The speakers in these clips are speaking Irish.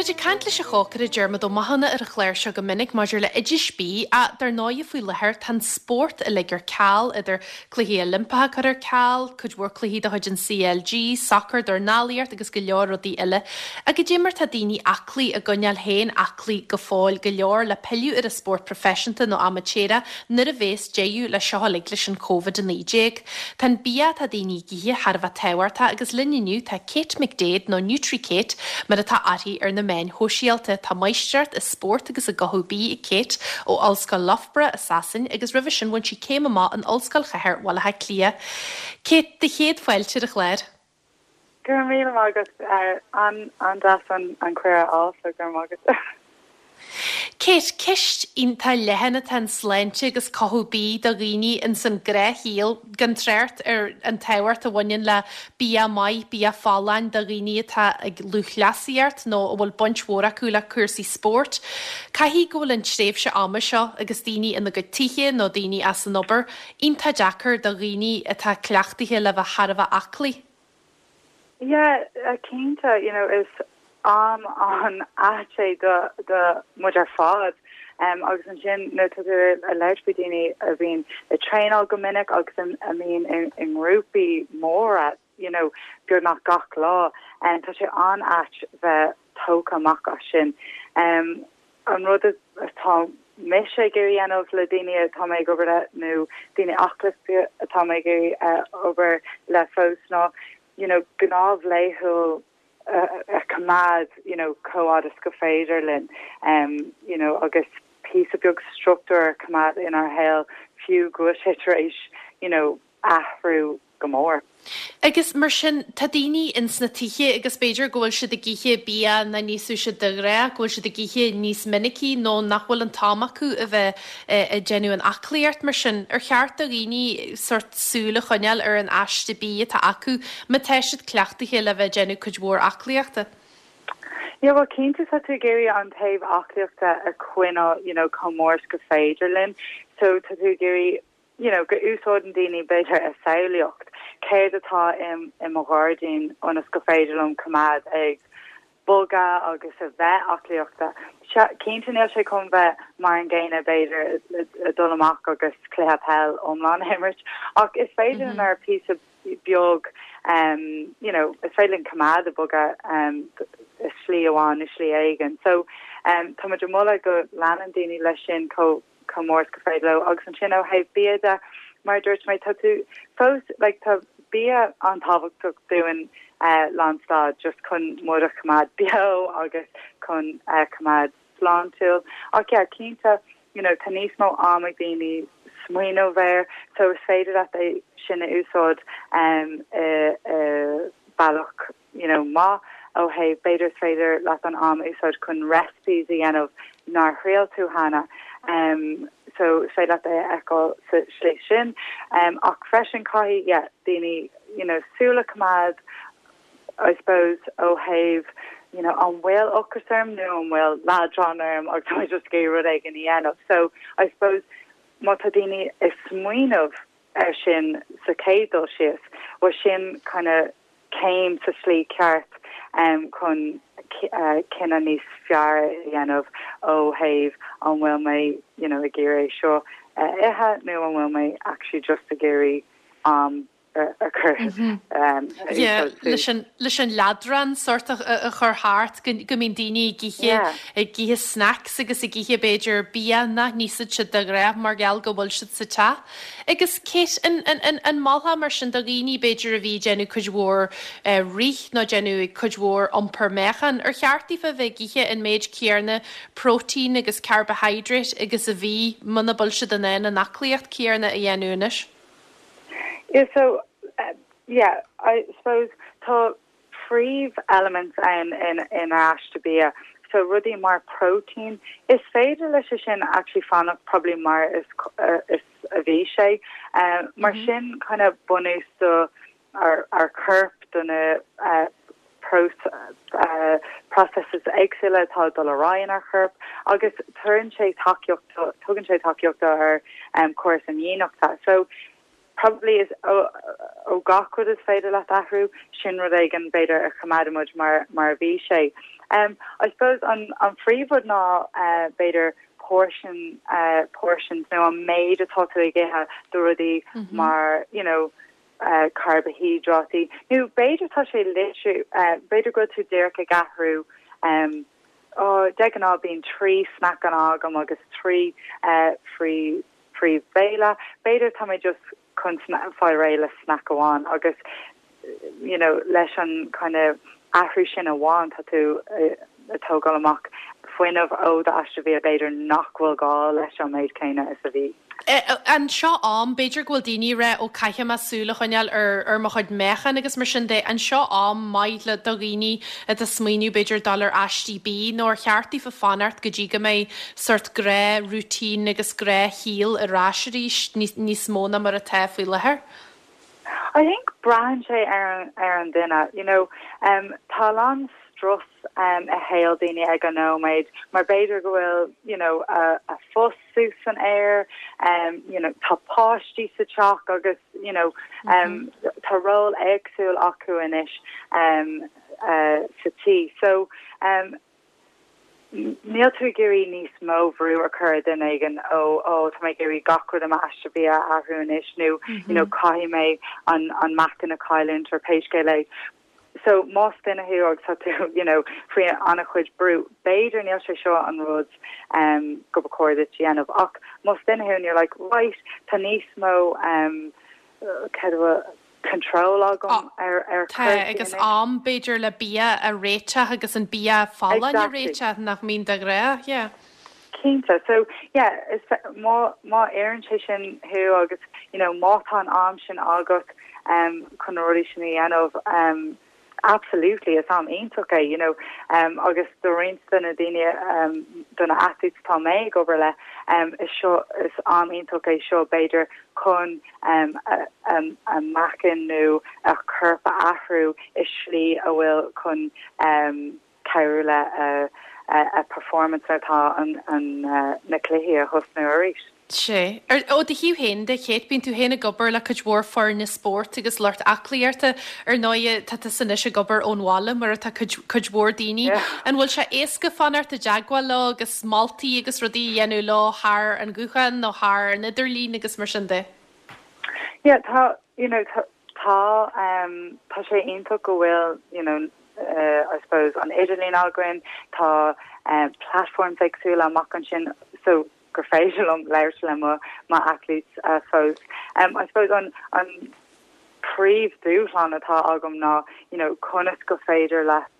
Bímid ag caint leis an chócaire Diarmuid Ó Mathúna ar an chlár seo go minic maidir le oidis bídh ach dar ndóighe faoi láthair tá an spórt uilig ar ceal, idir cluichí Oilimpeacha curtha ar ceal, cuid mhór cluichí de chuid an CLG, sacar, dornálaíocht agus go leor rudaí eile. Ach goidé mar tá daoine aclaí ag coinneáil féin aclaí go fóill go leor le pilleadh ar an spórt proifisiúnta nó amaitéarach nuair a bhéas deireadh le seo uilig leis an Covid-19. Tá an bia atá daoine ag ithe thar a bheith tábhachtach agus linn inniu tá Kate McDaid nó Nutri Kate mar atá uirthi ar na meáin shóisialta. Tá máistreacht i spórt agus i gcothú bídh ag Kate ó Ollscoil Loughborough i Sasain agus roimhe sin bhain sí céim amach in Ollscoil Chathair Bhaile Átha Cliath. Kate, do chéad fáilte ar an chlár. Go raibh míle maith agat. An-deas an cuireadh a fháil so go raibh maith agat. Kate, Ceist iontach leathan atá in sláinte agus cothú bídh do dhaoine ins an gnáthshaol, gan trácht ar an tábhacht a bhaineann le bia maith, bia folláin do dhaoine atá ag lúthchleasaíocht nó a bhfuil baint mhór acu le cúrsaí spóirt. Caithfidh go bhfuil an tréimhse ama seo agus daoine ina gcuid tithe nó daoine as an obair, iontach deacair do dhaoine atá cleachtaithe le bheith thar a bheith aclaí. Yeah, cinnte, you know, is am an-ait é do do muid ar fad. Agus ansin nuair atá tú ag labhairt faoi daoine a bhíonn ag traenáil go minic agus a mbíonn i ngrúpaí móra, you know, beagnach gach lá, tá sé an-ait bheith tógtha amach as sin. An rud atá mise ag iarraidh a dhéanamh le daoine atá mé ag obair le nó daoine aclaíochta atá mé ag iarraidh obair le fós ná you know gnáth laethúil a choimeád you know chomh fhad is go féidir linn you know agus píosa beag struchtúr a choimeád inár shaol fiú go bhfuil sé tar éis you know athrú go mór. Agus mar sin, tá daoine ins na tithe agus b'fhéidir go bhfuil siad ag ithe bia nach n-íosfadh siad de ghnáth, go bhfuil siad ag ithe níos minicí nó nach bhfuil an t-am acu a bheith ag déanamh an aclaíocht mar sin. Ar cheart do dhaoine sórt súil a choinneáil ar an aiste bídh atá acu má tá siad cleachtaithe le bheith ag déanamh cuid mhór aclaíochta? Yeah, well cinnte tá tú ag iarraidh an taobh aclaíochta a choinneáil you know chomh mór is go féidir linn so tá tú ag iarraidh you know, go úsáideann daoine b'fhéidir a samhlaíocht, céard atá i mo ghairdín ionas go féidir liom coimeád ag bogadh agus a bheith aclaíochta. Cinnte níl sé chun bheith mar an gcéanna b'fhéidir ag dul amach agus cluiche peil iomlán a imirt ach is féidir linn ar píosa beag you know, is féidir linn coimeád ag bogadh i slí amháin nó slí éigin. So tá muid ag moladh go leanann daoine leis sin chomh chomh mór is go féidir leo. Agus ansin ó thaobh bia de, mar a dúirt mé, tá tú fós, like, tá bia an-tábhachtach dúinn lánstad just chun muid a choimeád beo agus chun coimeád sláintiúil. Ach yeah, cinnte, you know, tá níos mó am ag daoine smaoineamh air so is féidir leat é sin a úsáid i bealach you know maith ó thaobh b'fhéidir is féidir leat an am a úsáid chun recipes a dhéanamh nár thriail tú cheana um so is féidir leat é a fheiceáil sa slí sin um ach freisin caithfidh yeah daoine you know súil a choimeád I suppose ó thaobh you know an bhfuil ocras orm nó an bhfuil leadrán orm agus tá mé just ag iarraidh rud éigin a dhéanamh so I suppose má tá daoine ag smaoineamh air sin sa chéad dul síos bhuel sin kind of céim sa slí ceart chun cinneadh níos fearr a dhéanamh ó thaobh an bhfuil mé you know ag iarraidh é seo a ithe nó an bhfuil mé actually just ag iarraidh am a chur Yeah, leis an leis an leadrán sort a a chur thart go go mbíonn daoine ag ithe ag ithe snacks agus ag ithe b'fhéidir bia nach n-íosfadh siad de ghnáth mar gheall go bhfuil siad sa teach. Agus Kate, an, an, an, an molfá mar sin do dhaoine, b'fhéidir, a bhí ag déanamh cuid mhór rith nó déanamh cuid mhór iompar meáchan, ar cheart daofa a bheith ag ithe an méid céarna próitéin agus carbohydrate agus a bhí, muna bhfuil siad in ann an aclaíocht céarna a dhéanamh anois? Yeah, so, yeah, I suppose tá príomh elements ann in aiste bia. So rudaí mar próitéin, is féidir leis sin actually fanacht probably mar is is a bhí sé. Mar sin kind of bunús do ár ár corp do na processes éagsúla atá ag dul ar aghaidh inár chorp agus tugann sé tacaíocht tugann sé tacaíocht do ár córas imdhíonachta. So. Probably is ó ó gach rud is féidir leat athrú, sin rud éigin b'fhéidir a choimeádann muid mar mar a bhí sé. Um I suppose an an phríomhrud ná uh b'fhéidir portion uh portions nó an méid atá tú ag ithe de rudaí mar you know uh carbaihiodráití nó b'fhéidir tá sé literally uh b'fhéidir go bhfuil tú díreach ag athrú um ó de ghnáth bíonn 3 snackanna agam agus 3 uh free príomhbhéile. B'fhéidir tá mé just chun fáil réidh le snack amháin agus you know leis an kind of athrú sin amháin tá tú ag tógáil amach fuinneamh ó d'aiste bhia b'fhéidir nach bhfuil gá leis an méid céanna is a bhí. An seo am, b'fhéidir go bhfuil daoine ag rá ó caithfidh mé súil a choinneáil ar ar mo chuid meáchan agus mar sin de, an seo am maith le do dhaoine atá ag smaoineamh b'fhéidir dul ar aistí bídh nó ar cheart daofa fanacht go dtí go mbeidh sórt gnáth-routine agus gnáthshaol ar ais arís níos mó ná mar atá faoi láthair. I think braitheann sé ar an ar an duine, you know. Um tá a lán strus um i shaol daoine ag an nóiméad mar b'fhéidir go bhfuil you know a a phost suas san aer, um you know tá páistí sa teach agus you know um tá ról éagsúil acu anois um uh sa tí. So um Níl tú ag iarraidh níos mó bhrú a chur ar duine éigin ó ó tá mé ag iarraidh gach rud i m'aiste bia a athrú anois nó you know caithfidh mé an an meáchan a chailliúint or pé scéal é. So más duine thú agus tá tú you know faoi an-chuid brú, b'fhéidir níl sé seo an rud um go ba chóir duit a dhéanamh ach más duine thú and you're like right tá níos mó um cad a control agam ar ar Tá, chúrsaí agus anois. am, b'fhéidir, le bia a réiteach agus an bia folláin a Exactly. réiteach nach mbíonn de ghnáth, yeah. Cinnte. So, yeah, is má má oireann sé sin thú agus, you know, má tá an am sin agat um chun na rudaí sin a dhéanamh, um Absolutely, is am iontach é, you know, agus do roinnt de na daoine, do na athletes atá mé ag obair le, is seo, is am iontach é seo b'fhéidir chun a meáchan nó a corp a athrú i slí a bhfuil chun cabhrú le a performance nuair atá na cluichí a thosnú arís. Sea. Ó do thaobh féin de, Kate, bíonn tú féin ag obair le cuid mhór foirne spóirt agus lucht aclaíochta. Ar ndóighe, tá tusa anois ag obair ón bhaile, mar atá cuid, cuid mhór daoine. An bhfuil sé éasca fanacht i dteagmháil leo agus moltaí agus rudaí a dhéanamh leo thar an ghuthán nó thar an idirlíon agus mar sin de? Yeah, tá, you know, tá, tá, um, tá sé iontach go bhfuil, you know, uh, I suppose, an idirlíon againn, tá, um, platforms éagsúla amach ansin, so gur féidir liom labhairt le mo mo athletes fós. I suppose an an príomhdhúshlán atá agam ná you know conas go féidir leat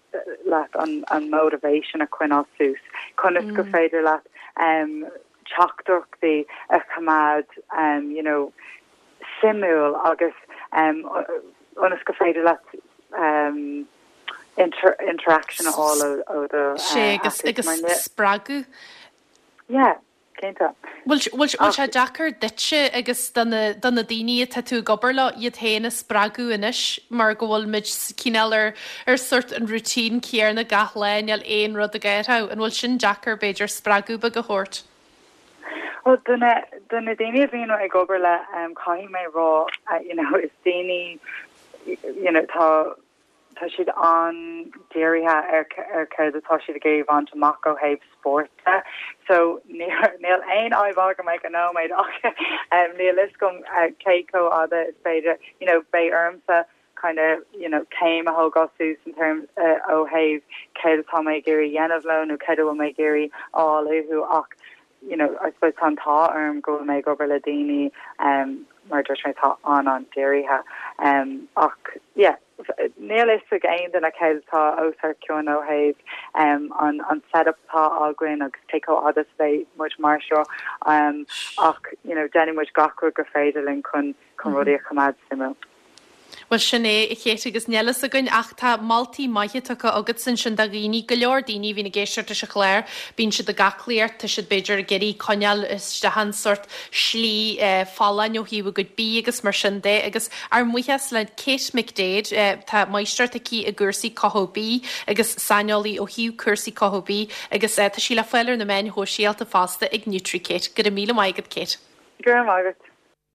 leat an an motivation a choinneáil suas, conas go féidir leat um teachtaireachtaí a choimeád um you know suimiúil agus um ionas go féidir leat um inter interaction a fháil ó ó do Sea, agus agus spreagadh. Yeah, cinnte. Bhfuil, bhfuil, bhfuil sé deacair duitse agus do na, do na daoine atá tú ag obair leo iad féin a spreagadh anois mar go bhfuil muid cineál ar, ar sort an routine céanna gach lá, níl aon rud ag athrú. An bhfuil sin deacair b'fhéidir spreagadh beag a thabhairt? Bhuel, do na, do na daoine a bhíonn ag obair le, caithfidh mé rá, you know, is daoine, you know, tá, Tá siad an-dírithe ar ar céard atá siad ag iarraidh a bhaint amach ó thaobh spóirt de. So níl aon fhadhb agam ag an nóiméad ach níl fhios agam cé chomh fhada is féidir, you know, beidh ormsa kind of, you know, céim a thógáil suas in terms ó thaobh céard atá mé ag iarraidh a dhéanamh leo nó céard a bhfuil mé ag iarraidh a fháil uathu ach you know, I suppose tá an t-ádh orm go bhfuil mé ag obair le daoine um, mar dúirt mé atá an-an-dírithe. Um, ach yeah, níl fhios ag aon duine céard atá os ár gcionn ó thaobh um, an, an setup atá againn agus cé chomh fhada is a bheidh muid mar seo. Um, ach you know, déanfaidh muid gach rud gur féidir linn chun, chun rudaí a choimeád suimiúil. Bhuel, sin é, a Kate, agus níl fhios againn ach tá moltaí maithe tugtha agatsa ansin do dhaoine, go leor daoine a bhíonn ag éisteacht leis an chlár, bíonn siad ag aclaíocht, tá siad b'fhéidir ag iarraidh coinneáil isteach an sórt slí folláin ó thaobh a gcuid bídh agus mar sin de agus ár mbuíochas le Kate McDaid, tá máistreacht aici i gcúrsaí cothú bídh agus saineolaí ó thaobh cúrsaí cothú bídh agus tá sí le fáil ar na meáin shóisialta fosta ag NutriKate. Go raibh míle maith agat, Kate. Go raibh maith agat.